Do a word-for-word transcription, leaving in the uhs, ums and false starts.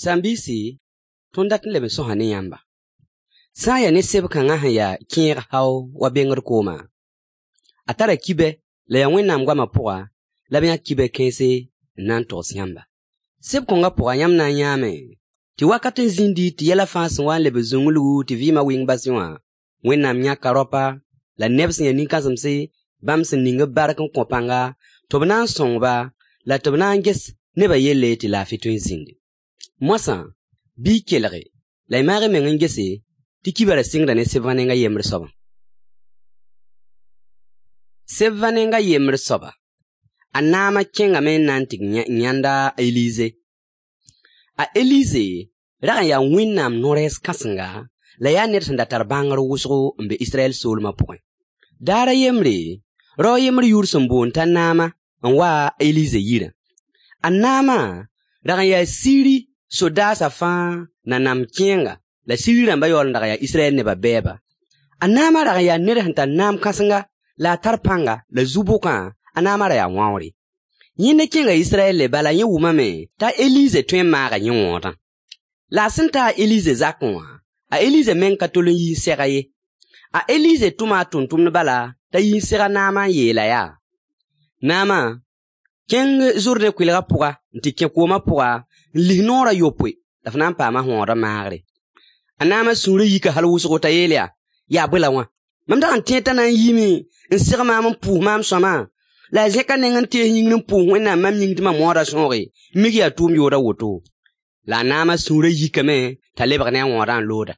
Sãn-biisi, tõnd dat n leb n sõsa ne yãmba. Sã n ya ne seb-kãngã sẽn ya kẽeg hao wa bengd koomã, a tara kibɛ la yaa Wẽnnaam goamã pʋga la b yãk kibɛ kãense n na n togs yãmba. Seb-kõngã pʋga yãmb na n yãame tɩ wakat n zĩndi tɩ yɛla fãa sẽn wa n lebg zũnglgu tɩ vɩɩmã wɩng basẽ wã, Wẽnnaam yãka raopa la neb sẽn ya nin-kãsemse bãmb sẽn ning b bark n kõ pãnga tɩ b na n sõng-ba la tɩ b na n ges nebã yelle tɩ laafɩ tõe n zĩndi. Moasã, bɩ y kelge la y maag y meng n gese tɩ kibã ra sɩngda ne sebã neng a yembr soabã. Sebã neng a yembr soaba, a naamã kẽngame n na n tɩ yãnd a Elize. A Elize rag n yaa Wẽnnaam no-rɛɛs kãsenga la yaa ned sẽn da tar bãngr wʋsgo n be Israyɛl soolmã pʋgẽ. Daar a yembre, rao a yembr yʋʋr sẽn boond t'a Naama n wa a Elize yirã. A Naama rag n yaa Siiri sodaasã fãa nanam kẽenga la Siiri rãmbã yaool n dag n yaa Israyɛl nebã bɛɛba. A Naama rag n yaa ned sẽn tar naam kãsenga la a tar pãnga la zu-bʋkã, a naamã ra yaa wãoore. Yẽnda kẽnga Israyɛlle bala yẽ wʋmame t'a Elize tõe n maaga yẽ wõodã. La a sẽn ta a Elize zakẽ wã, a Elize meng ka tol n yi n seg-a ye. A Elize tʋma a tʋmtʋmd bala t'a yi n seg a Naama n yeel-a yaa: Naama, kẽng Zʋrdẽ kʋɩlgã pʋga n tɩ kẽ koomã pʋga n lis noor a yopoe la f na n paama wõodã maagre. A Naama sũurã yika hal wʋsgo t'a yeel yaa: Yaa bõe la wã? Mam dag n tẽed t'a na n yiime n seg maam n pʋʋs maam sõama, la a zẽka neng n tees yĩngr n pʋʋs Wẽnnaam mam yĩng tɩ mam wõodã sõoge, mik yaa tʋʋm yood a woto. La a Naama sũurã yikame t'a lebg ne a wõodã n looda.